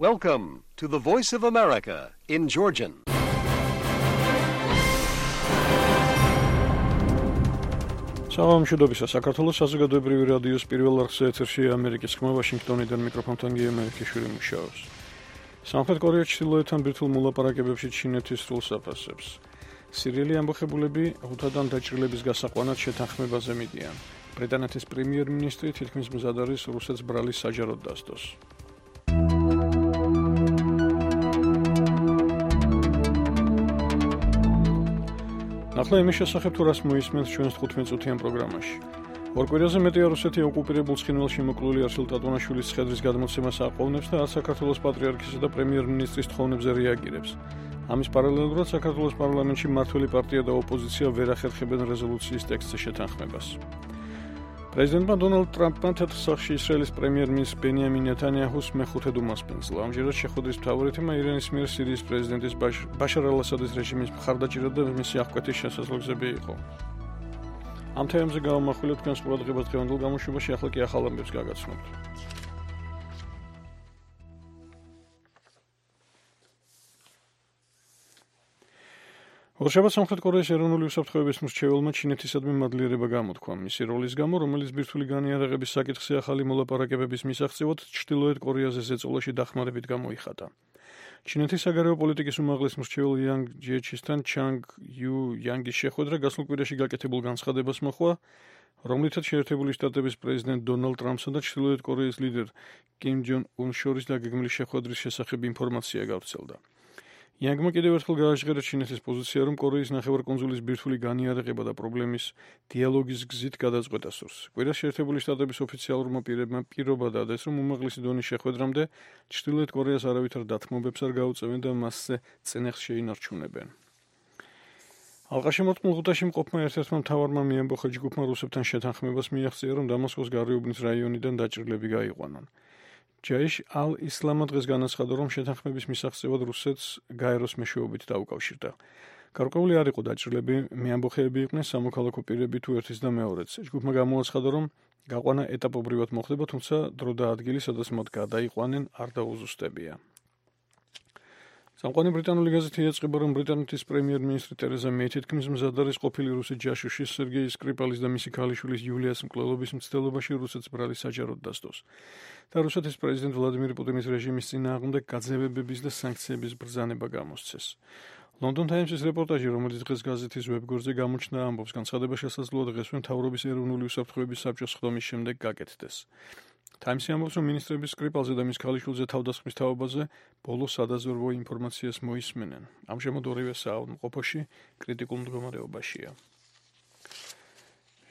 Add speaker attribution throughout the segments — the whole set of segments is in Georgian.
Speaker 1: Welcome to the Voice of America in Georgian.
Speaker 2: Საღამომშვიდობისა, საქართველოს საზოგადოებრივი რადიოს პირველ არხზე ეთერში ამერიკის ხმა ვაშინგტონიდან მიკროფონთან გიემერიქიშვილი მუშაობს. სამხრეთ კორეა ჩრდილოეთთან ბირთვულ მოლაპარაკებებში ჩინეთის სრულს აფასებს. სირიელი ამბოხებულები ღუთადან დაჭრილების გასაყვანად შეთანხმებაზე მიდიან. ბრიტანეთის პრემიერ-მინისტრი თითქმის მზად არის რუსეთს ბრალის საჯაროდ დასდოს. ახლა იმის შესახებ თუ რას მოისმენთ ჩვენს 15-წუთიან პროგრამაში. ორ კვირაზე მეტია რუსეთი ოკუპირებულ ცხინვალში მოკლული არსილ ტატონაშვილის ცხედრის გადმოცემას აყოვნებს და საქართველოს პატრიარქისა და პრემიერ-მინისტრის თხოვნებზე რეაგირებს. ამის პარალელურად საქართველოს პარლამენტში მმართველი პარტია და ოპოზიცია ვერ ახერხებენ რეზოლუციის ტექსტზე შეთანხმებას. პრეზიდენტმა დონალდ ტრამპმა თეთრ სახლში ისრაელის პრემიერ-მინისტრ ბენიამინ ნეთანიაჰუს მეხუთედ უმასპინძლა. ამჯერად შეხვედრის მთავარი თემა ირანის მიერ სირიის პრეზიდენტის ბაშარ ალ-ასადის რეჟიმის მხარდაჭერა და მისი აღკვეთის შესაძლებლობები იყო. ამ თემებზე გავამახვილებთ თქვენს ყურადღებას დღევანდელ გამოშვებაში, ახლა კი ახალ ამბებს გაგაცნობთ. ორშაბათს სამხრეთ კორეის ეროვნული უსაფრთხოების მრჩეველმა ჩინეთისადმი მადლიერება გამოთქვა მისი როლის გამო, რომელიც ბირთვული განიარაღების საკითხზე ახალი მოლაპარაკებების მისაღწევად ჩრდილოეთ კორეაზე ზეწოლაში დახმარებით გამოიხატა. ჩინეთის საგარეო პოლიტიკის უმაღლეს მრჩეველ იანგ ჯიეჩისთან ჩანგ იუ იანგის შეხვედრა გასულ კვირაში გაკეთებულ განცხადებას მოჰყვა, რომლითაც შეერთებული შტატების პრეზიდენტ დონალდ ტრამპსა და ჩრდილოეთ კორეის ლიდერ კიმ ჯონ უნს შორის დაგეგმილი შეხვედრის შესახებ ინფორმაცია გავრცელდა. იანგმა კიდევ ერთხელ გააჟღერა ჩინეთის პოზიცია, რომ კორეის ნახევარკუნძულის ბირთვული განიარაღება და პრობლემის დიალოგის გზით გადაწყვეტა სურს. კვირას შეერთებული შტატების ოფიციალურმა პირებმა პირობა დადეს, რომ უმაღლესი დონის შეხვედრამდე ჩრდილოეთ კორეას არავითარ დათმობებს არ გაუწევენ და მასზე წინახს შეინარჩუნებენ. ალყაშემორტყმულ ღუთაში მყოფმა ერთ-ერთმა მთავარმა მიამბოხა ჯგუფმა რუსებთან შეთანხმებას მიაღწია, რომ დამასკოს გარეუბნის რაიონიდან დაჭრილები გაიყვანონ. ჯაიშ ალ-ისლამა დღეს განაცხადა, რომ შეთანხმების მისაღწევად რუსეთს გაეროს მეშვეობით დაუკავშირდა. გარკვეული არ იყო დაჭრილები, მეამბოხეები იყვნენ სამოქალაქო პირები თუ ერთის და მეორეც. ჯგუფმა გამოაცხადა, რომ გაყვანა ეტაპობრივად მოხდება, თუმცა დრო და ადგილი, სადაც მათ გადაიყვანენ, არ დაუზუსტებია. სამყარო ბრიტანული გაზეთი ეწება, რომ ბრიტანეთის პრემიერ-მინისტრი ტერეზა მეი თითქმის მზად არის ყოფილი რუსი ჯაშუში სერგეი სკრიპალის და მისი ქალიშვილის იულიას მკვლელობის მცდელობაში რუსეთს ბრალის საჯაროდ დასდოს და რუსეთის პრეზიდენტ ვლადიმիր პუტინის რეჟიმის წინააღმდეგ გაძევებების და სანქციების ბრძანება გამოსცეს. ლონდონ ტაიმსის რეპორტაჟი, რომელიც დღეს გაზეთის ვებგვერდზე გამოჩნდა, ამბობს, განცხადება შესაძლოა დღესვე მთავრობის ეროვნული უსაფრთხოების საბჭოს ხდომის შემდეგ გაკეთდეს. ტაიმსი ამბობს, რომ მინისტრები სკრიპალზე და მის ქალიშვილზე თავდასხმის თაობაზე ბოლო სადაზვერვო ინფორმაციას მოისმენენ. ამჟამად ორივე საავადმყოფოში კრიტიკულ მდგომარეობაშია.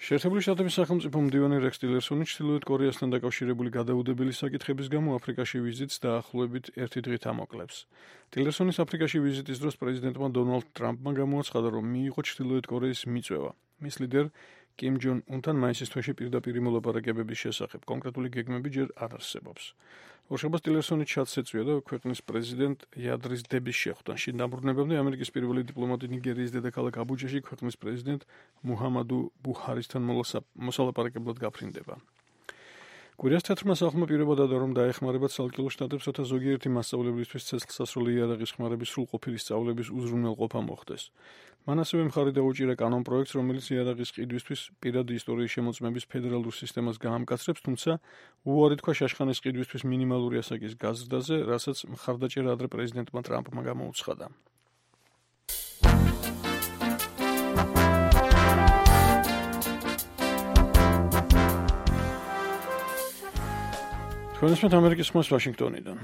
Speaker 2: შეერთებული შტატების სახელმწიფო მდივანი რექს ტილერსონი ჩრდილოეთ კორეასთან დაკავშირებული გადაუდებელი საკითხების გამო აფრიკაში ვიზიტს დაახლოებით ერთი დღით ამოკლებს. ტილერსონის აფრიკაში ვიზიტის დროს პრეზიდენტმა დონალდ ტრამპმა გამოაცხადა, რომ მიიღო ჩრდილოეთ კორეის მიწვევა. მის ლიდერ კიმ ჯონ უნთან მაისის თვეში პირდაპირ მოლაპარაკებების შესახებ კონკრეტული გეგმები ჯერ არ არსებობს. ორშაბათს ტილერსონი ჩადს ეწვია და ქვეყნის პრეზიდენტ იადრის დების შეხვდანში დაბრუნებამდე ამერიკის პირველი დიპლომატი ნიგერიის დედაქალაქ აბუჯაში ქვეყნის პრეზიდენტ მუჰამადუ ბუჰარისთან მოსალაპარაკებლად გაფრინდება. კვირას თეთრმა სახლმა პირობა დადა, რომ დაეხმარება ცალკეულ შტატებს, რათა ზოგიერთი მასწავლებლისთვის ცეცხლსასროლი იარაღის ხმარების სრულყოფილი სწავლების უზრუნველყოფა მოხდეს. მან ასევე მხარი დაუჭირა კანონ პროექტს, რომელიც იარაღის ყიდვისთვის პირადი ისტორიის შემოწმების ფედერალურ სისტემას გაამკაცრებს, თუმცა უარი თქვა შაშხანის ყიდვისთვის მინიმალური ასაკის გაზრდაზე, რასაც მხარდაჭერა ადრე პრეზიდენტმა ტრამპმა გამოუცხადა. თქვენისმეთ ამერიკის ხმას ვაშინგტონიდან.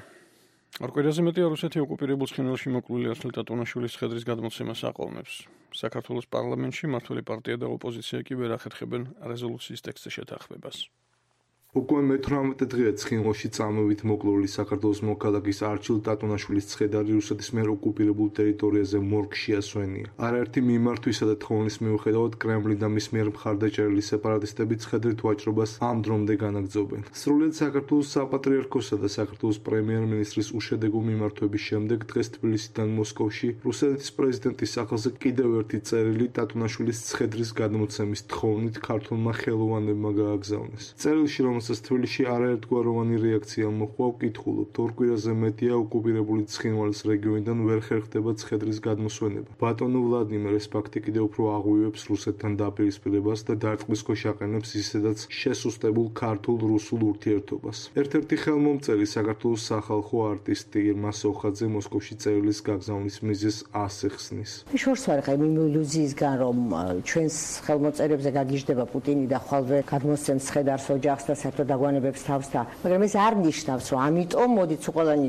Speaker 2: ორ კვირაზე მეტია რუსეთი ოკუპირებულ ცხინვალში მოკლული არსილ ტატონაშვილის ცხედრის გადმოცემას აყოვნებს. საქართველოს პარლამენტში მმართველი პარტია და ოპოზიცია კი ვერ ახერხებენ რეზოლუციის ტექსტზე შეთანხმებას.
Speaker 3: უკვე მე-18 დღეა ცხინვალში წამებით მოკლული საქართველოს მოქალაქის არჩილ ტატონაშვილის ცხედარი რუსეთის მიერ ოკუპირებულ ტერიტორიაზე მორგში ასვენია. არაერთი მიმართვისა და თხოვნის მიუხედავად კრემლი და მის მიერ მხარდაჭერილი სეპარატისტები ცხედრით ვაჭრობას ამ დრომდე განაგრძობენ. სრულიად საქართველოს საპატრიარქოსა და საქართველოს პრემიერ-მინისტრის უშედეგო მიმართვების შემდეგ დღეს თბილისიდან მოსკოვში რუსეთის პრეზიდენტის სახელზე კიდევ ერთი წერილი ტატონაშვილის ცხედრის გადმოცემის თხოვნით ქართულმა ხელოვანებმა გააგზავნეს. წერილში, რომელსაც თბილისში არაერთგვაროვანი რეაქცია მოჰყვა, ვკითხულობთ, ორ კვირაზე მეტია ოკუპირებული ცხინვალის რეგიონიდან ვერ ხერხდება ცხედრის გადმოსვენება. ბატონო ვლადიმერ ეს ფაქტი კიდევ უფრო აღვივებს რუსეთთან დაპირისპირებას და დარტყმის ქვეშ აყენებს ისედაც შესუსტებულ ქართულ-რუსულ ურთიერთობას. ერთ-ერთი ხელმომწერი საქართველოს სახალხო არტისტი ირმა სოხაძე მოსკოვში წერილის გაგზავნის მიზეზს ასახსნის.
Speaker 4: შორს ვარ ხა იმ ილუზიისგან რომ ჩვენს ხელმოწერებზე გაგიჟდება პუტინი და ხვალვე გადმოსცემს ცხედარს ოჯახს და საერთოდ დაგვანებებს თავს და მაგრამ ეს არ ნიშნავს რომ ამიტომ მოდით ყველანი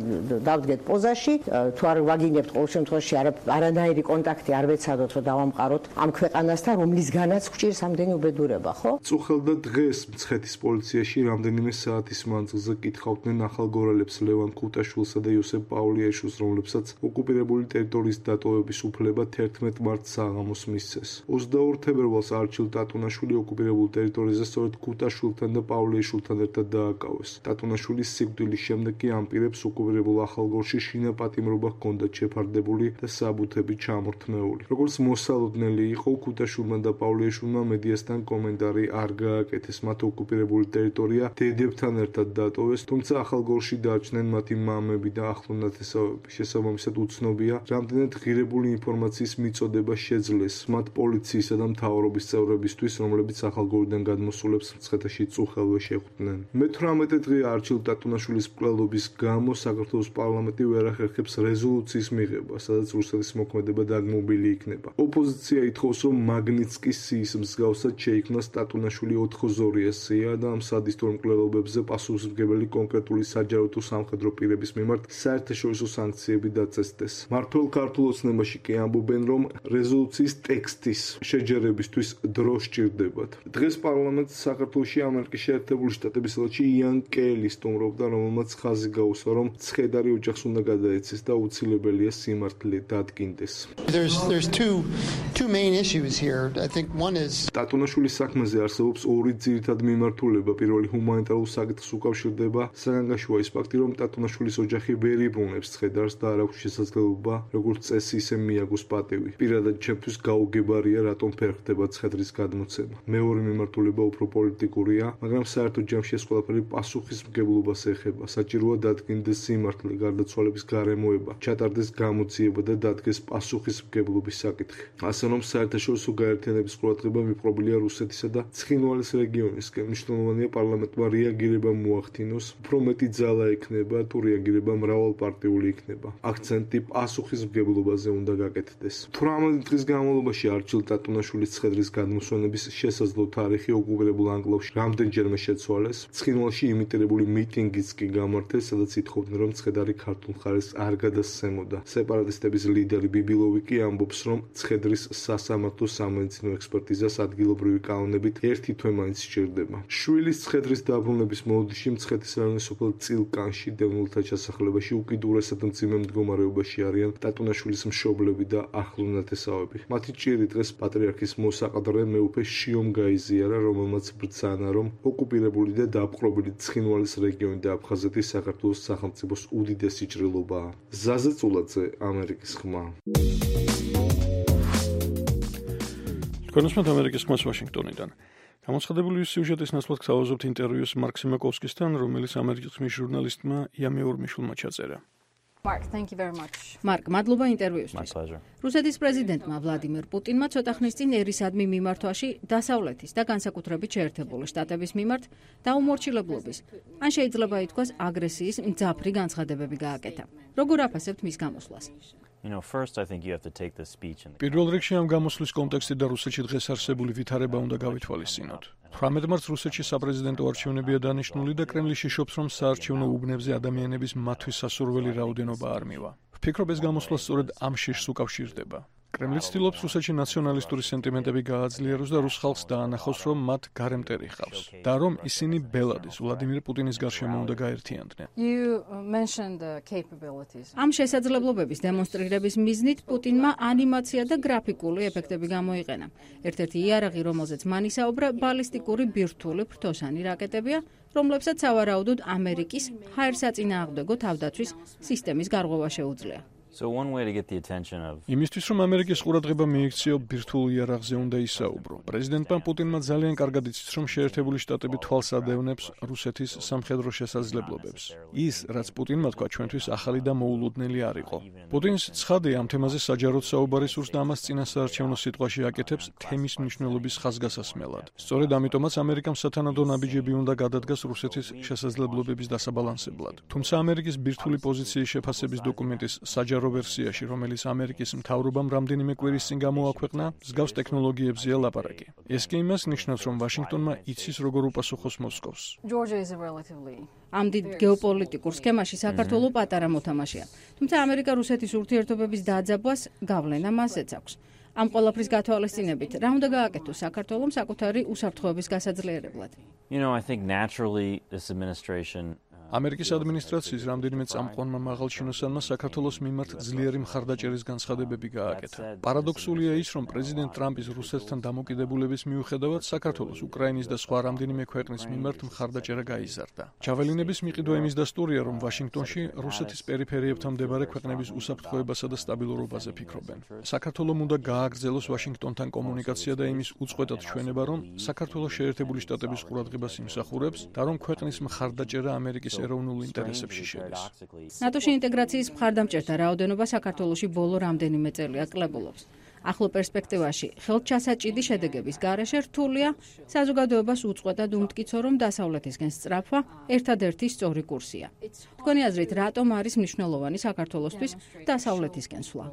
Speaker 4: დავდგეთ პოზაში თუ არ ვაგინებთ ყოველ შემთხვევაში არანაირი კონტაქტი არ ვეცადოთ რომ დავამყაროთ ამ ქვეყანასთან რომლისგანაც გვჭირს ამდენი უბედურება ხო?
Speaker 3: წუხელდა დღეს მცხეთის პოლიციაში რამდენიმე საათის მანძილზე კითხავდნენ ახალგორალებს ლევან ქუტაშვილსა და იოსებ პავლიაშვილს, რომლებსაც ოკუპირებული ტერიტორიის დატოვების უფლება 11 მარტს საღამოს მისცეს. 22 თებერვალს არჩილ ტატუნაშვილი ოკუპირებულ ტერიტორიაზე სწორედ ქუტაშვილთან და პავლიაშვილთან ერთად დააკავეს. ტატუნაშვილის სიკვდილის შემდეგ კი ამ პირებს ოკუპირებულ ახალგორში შინაპატიმრობა ჰქონდათ შეფარდებული და საბუთები ჩამორთმეული. როგორც მოსალოდნელი იყო, ქუტაშვილმა და პავლიაშვილმა მედიასთან კომენტარი არ გააკეთეს. მათ ოკუპირებული ტერიტორია დედებთან ერთად დატოვეს, თუმცა ახალგორში დარჩნენ მათი მამები და ახლო ნათესავები. შესაბამისად უცნობია, რამდენად ღირებული ინფორმაციის მიწოდება შეძლეს მათ პოლიციისა და მთავრობის წევრებისთვის, რომლებიც ახალგორიდან გადმოსულებს მცხეთაში წუხელვე შეხვდნენ. მე-18 დღე არჩილ ტატუნაშვილის მკვლელობის გამო საქართველოს პარლამენტი ვერ ახერხებს რეზოლუციის მიღება, სადაც რუსეთის მოქმედება დაგმობილი იქნება. ოპოზიცია ითხოვს, რომ მაგნიცკის სიის მსგავსად შეიქმნას ტატუნაშვილი 4-ზორიას სია და ამ სადისტურ მკვლელობებზე პასუხისმგებელი კონკრეტული საჯარო თუ სამხედრო პირების მიმართ საერთაშორისო სანქციები დაწესდეს. მართლ ქართულ ოცნებაში კი ამბობენ, რომ რეზოლუციის ტექსტის შეჯერებისთვის დრო სჭირდებათ. დღეს პარლამენტს საქართველოში ამერიკის შეერთებული შტატების ელჩი იან კელი სტუმრობდა, რომელმაც ხაზი გაუსვა, რომ ცხედარი ოჯახს უნდა გადაეცეს და უცილებელია სიმართლე დადგინდეს.
Speaker 5: There's two main issues here. I think one is
Speaker 3: ტატუნაშვილის საქმეზე არსებობს ორი ძირითადი მიმართულება. პირველი ჰუმანიტარულ საკითხს უკავშირდება. საგანგაშოა ის ფაქტი, რომ ტატუნაშვილის ოჯახი ვერ იბრუნებს ცხედარს და არ აქვს შესაძლებლობა როგორც წესი ისე მიაგოს პატივი. პირადად ჩემთვის გაუგებარია, რატომ ვერ ხდება ცხედრის გადმოცემა. მეორე მიმართულება უფრო პოლიტიკურია, მაგრამ საერთო ჯამში ეს ყველაფერი პასუხისმგებლობას ეხება. საჭიროა დადგინდეს სიმართლე, გარდაცვალების გარემოება, ჩატარდეს გამოძიება და დადგეს პასუხისმგებლობის საკითხი. ასე რომ საერთაშორისო გაერთიანების ყურადღება მიპყრობილია რუსეთისა და ცხინვალის რეგიონისკენ. მნიშვნელოვანია პარლამენტმა რეაგირება მოახდინოს, უფრო მეტი ძალა ექნება თუ რეაგირება მრავალპარტიული იქნება. აქცენტი პასუხისმგებლობაზე უნდა გაკეთდეს. 18 დღის განმავლობაში არჩილ ტატუნაშვილის ცხედრის გადმოსვენების შესაძლო თარიღი ოკუპირებულ ანკლავში რამდენჯერმე შეცვალეს. ცხინვალში იმიტირებული მიტინგიც კი გამართეს, სადაც ითხოვდნენ, რომ ცხედარი ქართულ მხარეს არ გადასცემოდა. სეპარატისტების ლიდერი ბიბილოვი კი ამბობს, რომ ცხედრის სასამართლო სამედიცინო ექსპერტიზას ადგილობრივი კანონებით 1 თვე მაინც სჭირდება. შვილის ცხედრის დაბრუნების მოლოდინში მცხეთის რაიონის სოფელ წილკანში დევნილთა ჩასახლებაში უკიდურესად მძიმე მდგომარეობაში არიან ტატუნაშვილის მშობლები და ახლო ნათესავები. მათი ჭირი დღეს პატრიარქის მოსაყდრე მეუფე შიომ გაიზიარა, რომელმაც ბრძანა, რომ ოკუპირებული და დაპყრობილი ცხინვალის რეგიონი და აფხაზეთი საქართველოს სახელმწიფოს უდიდესი ჭრილობაა. ზაზე წულაძე, ამერიკის ხმა.
Speaker 2: კონსმოთ ამერიკის ხმას ვაშინგტონიდან. გამოცხადებული სიუჟეტის ნაცვლად გთავაზობთ ინტერვიუს მარკ სიმაკოვსკისთან, რომელიც ამერიკის ხმის ჟურნალისტმა იამი ორმიშულმა ჩაწერა.
Speaker 6: Mark, thank you very much.
Speaker 7: მარკ, მადლობა ინტერვიუსთვის. რუსეთის პრეზიდენტმა ვლადიმერ პუტინმა ცოტა ხნის წინ ერისადმი მიმართვაში დასავლეთის და განსაკუთრებით შეერთებული შტატების მიმართ დაუმორჩილებლობის, ან შეიძლება ითქვას აგრესიის მძაფრი განცხადებები გააკეთა. როგორ აფასებთ მის გამოსვლას?
Speaker 2: პირველ რიგში ამ გამოსვლის კონტექსტი და რუსეთში დღეს არსებული ვითარება უნდა გავითვალისწინოთ. 18 მარტს რუსეთში საპრეზიდენტო არჩევნებია დანიშნული და კრემლი შიშობს, რომ საარჩევნო უბნებზე ადამიანების მათთვის სასურველი რაოდენობა არ მივა. ვფიქრობ, ეს გამოსვლა სწორედ ამ შიშს უკავშირდება. კრემლი ცდილობს რუსეთში ნაციონალისტური სენტიმენტები გააძლიეროს და რუს ხალხს დაანახოს, რომ მათ გარემტერი ჰყავს და რომ ისინი ბელადის ვლადიმირ პუტინის გარშემო უნდა გაერთიანდნენ.
Speaker 7: ამ შესაძლებლობების დემონსტრირების მიზნით პუტინმა ანიმაცია და გრაფიკული ეფექტები გამოიყენა. ერთ-ერთი იარაღი, რომელზეც მან ისაუბრა, ბალისტიკური ბირთვული ფრთოსანი რაკეტებია, რომლებსაც სავარაუდოდ ამერიკის ჰაერსაწინააღმდეგო თავდაცვის სისტემის გარღვევა შეუძლია.
Speaker 8: So one way to get the attention of
Speaker 2: იმისთვის რომ ამერიკის ყურადღება მიიქციო ბირთვულ იარაღზე უნდა ისაუბრო. პრეზიდენტმა პუტინმა ძალიან კარგად იცის, რომ შეერთებული შტატები თვალს ადევნებს რუსეთის სამხედრო შესაძლებლობებს. ის, რაც პუტინმა თქვა, ჩვენთვის ახალი და მოულოდნელი არ იყო. პუტინს ცხადია ამ თემაზე საჯაროდ საუბარი სურს და ამას წინასაარჩევნო სიტყვაში აკეთებს თემის მნიშვნელობის ხაზგასასმელად. სწორედ ამიტომაც ამერიკამ სათანადო ნაბიჯები უნდა გადადგას რუსეთის შესაძლებლობების დასაბალანსებლად. თუმცა ამერიკის ბირთვული პოზიციის შეფასების დოკუმენტის საჯარო ვერსიაში, რომელიც ამერიკის მთავრობამ რამდენიმე კვირის წინ გამოაქვეყნა, მსგავს ტექნოლოგიებზეა ლაპარაკი. ეს კი იმას ნიშნავს, რომ ვაშინგტონმა იცის როგორ უპასუხოს მოსკოვს.
Speaker 7: ამ დიდ გეოპოლიტიკურ სქემაში საქართველოს პატარა მოთამაშეა. თუმცა ამერიკა-რუსეთის ურთიერთობების დაძაბვას გავლენა მასეც აქვს. ამ ყველაფრის გათვალისწინებით, რა უნდა გააკეთოს საქართველოს საკუთარი უსაფრთხოების გასაძლიერებლად?
Speaker 8: I think naturally this administration
Speaker 2: ამერიკის ადმინისტრაციის რამდენიმე წამყვანმა მაღალჩინოსანმა საქართველოს მიმართ ძლიერი მხარდაჭერის განცხადებები გააკეთა. პარადოქსულია ის, რომ პრეზიდენტ ტრამპის რუსეთთან დამოკიდებულების მიუხედავად საქართველოს, უკრაინის და სხვა რამდენიმე ქვეყნის მიმართ მხარდაჭერა გაიზარდა. ჯაველინების მიყიდვა იმის დასტურია, რომ ვაშინგტონში რუსეთის პერიფერიებთან მდებარე ქვეყნების უსაფრთხოებასა და სტაბილურობაზე ფიქრობენ. საქართველოს უნდა გააგრძელოს ვაშინგტონთან კომუნიკაცია და იმის უწყვეტად ჩვენება, რომ საქართველოს შეერთებული შტატების ყურადღებას იმსახურებს და რომ ქვეყნის მხარდაჭერა ამერიკის ეროვნულ ინტერესებში შედის.
Speaker 7: ნატოში ინტეგრაციის მხარდამჭერთა რაოდენობა საქართველოში ბოლო რამდენიმე წელია კლებულობს. ახლო პერსპექტივაში ხელჩასაჭიდი შედეგების გარეშე რთულია საზოგადოებას უწყვეტად უმტკიცო, რომ დასავლეთისკენ სწრაფვა ერთადერთი სწორი კურსია. თქვენი აზრით, რატომ არის მნიშვნელოვანი საქართველოსთვის დასავლეთისკენ სვლა?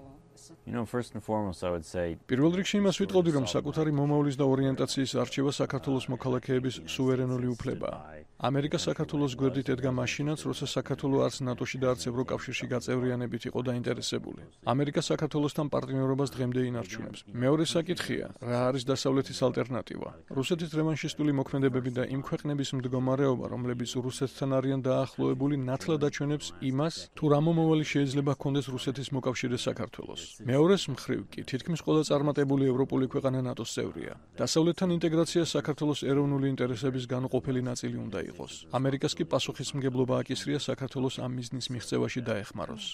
Speaker 8: First and foremost, I would say
Speaker 2: პირველ რიგში იმას ვიტყოდი, რომ საკუთარი მომავლის და ორიენტაციის არჩევა საქართველოს მოქალაქეების სუვერენული უფლებაა. ამერიკა საქართველოს გვერდით ედგა მაშინაც, როცა საქართველო არც ნატოში და არც ევროკავშირში გაწევრიანებით იყო დაინტერესებული. ამერიკა საქართველოსთან პარტნიორობას დღემდე ინარჩუნებს. მეორე საკითხია, რა არის დასავლეთის ალტერნატივა? რუსეთის რევანშისტული მოქმედებები და იმ ქვეყნების მდგომარეობა, რომლებიც რუსეთთან არიან დაახლოებული, ნათლად აჩვენებს იმას, თუ რა მომავალი შეიძლება ჰქონდეს რუსეთის მოკავშირე საქართველოს. მეორეს მხრივ კი, თითქმის ყველა წარმატებული ევროპული ქვეყანა ნატოს წევრია. დასავლეთთან ინტეგრაცია საქართველოს ეროვნული ინტერესების განუყოფელი ნაწილი უნდა იყოს. ამერიკას კი პასუხისმგებლობა აკისრია საქართველოს ამ მიზნის მიღწევაში დაეხმაროს.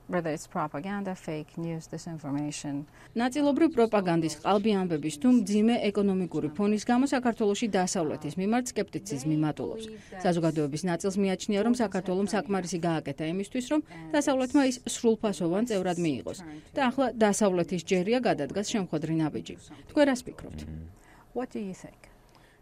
Speaker 6: Whether it's propaganda, fake news, disinformation.
Speaker 7: ნაწილობრივ პროპაგანდის ყალბი ამბების თუ მძიმე ეკონომიკური ფონის გამო საქართველოში დასავლეთის მიმართ სკეპტიციზმი მატულობს. საზოგადოების ნაწილს მიაჩნია, რომ საქართველოს საკმარისი გააკეთა იმისთვის, რომ დასავლეთმა ის სრულფასოვან წევრად მიიღოს და ახლა დასავლეთის ჯერია გადადგას შემხვედრი ნაბიჯი. თქვენ რას ფიქრობთ?
Speaker 6: What do you think?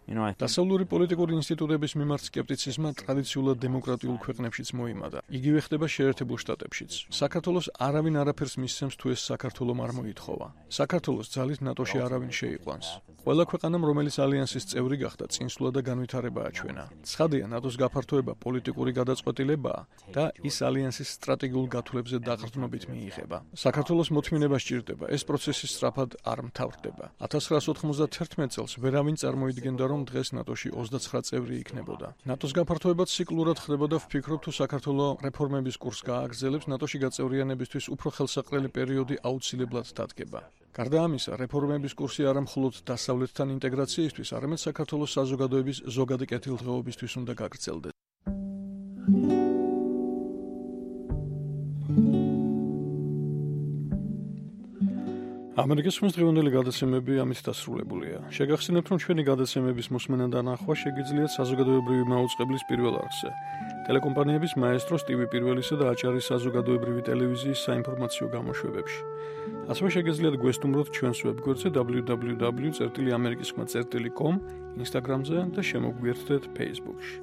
Speaker 2: დასავლური პოლიტიკური ინსტიტუტების მიმართ სკეპტიციზმმა ტრადიციულად დემოკრატიულ ქვეყნებშიც მოიმადა. იგივე ხდება შეერთებულ შტატებშიც. საქართველოს არავინ არაფერს მისცემს თუ ეს საქართველომ არ მოითხოვა. საქართველოს ძალით ნატოში არავინ შეიყვანს. ყველა ქვეყანამ, რომელიც ალიანსის წევრი გახდა, წინსვლა და განვითარება აჩვენა. ცხადია, ნატოს გაფართოება პოლიტიკური გადაწყვეტილებაა და ის ალიანსის სტრატეგიულ გათვლებზე დაყრდნობით მიიღება. საქართველოს მოთმინება სჭირდება, ეს პროცესი სწრაფად არ მთავრდება. 1991 წელს ვერავინ წარმოიდგენდა, რომ დღეს ნატოში 29 წევრი იქნებოდა. ნატოს გაფართოება ციკლურად ხდება და ვფიქრობ, თუ საქართველოს რეფორმების კურსს გააგრძელებს, ნატოში გაწევრიანებისთვის უფრო ხელსაყრელი პერიოდი აუცილებლად დადგება. გარდა ამისა, რეფორმების კურსი არა მხოლოდ დასავლეთთან ინტეგრაციისთვის, არამედ საქართველოს საზოგადოების ზოგადი კეთილდღეობისთვის უნდა გაგრძელდეს. ამერიკის დღევანდელი გადაცემები ამით დასრულებულია. შეგახსენებთ, რომ ჩვენი გადაცემების მოსმენა და ნახვა შეგიძლიათ საზოგადოებრივი მაუწყებლის პირველ არხზე, ტელეკომპანიების მაესტროს TV პირველისა და აჭარის საზოგადოებრივი ტელევიზიის საინფორმაციო გამოშვებებში. ასევე შეგიძლიათ გვესტუმროთ ჩვენს ვებგვერდზე www.amerikiskhma.com, Instagram-ზე და შემოგვიერთდეთ Facebook-ში.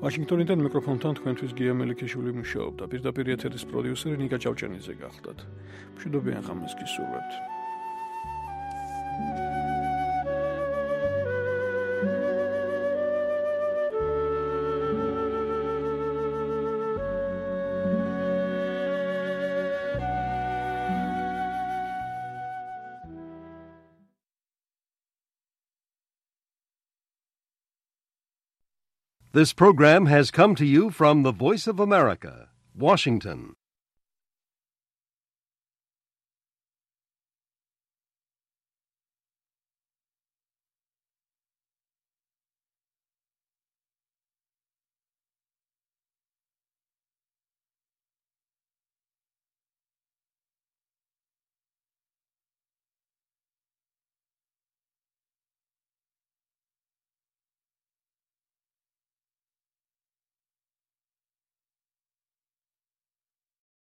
Speaker 2: ვაშინგტონიდან მიკროფონთან თქვენთვის გია მელიქიშვილი მუშაობდა. პირდაპირ ეთერის პროდიუსერი ნიკა ჭავჭანიძე გახლდათ. მშვიდობიან ღამეს გისურვებთ.
Speaker 1: This program has come to you from the Voice of America, Washington.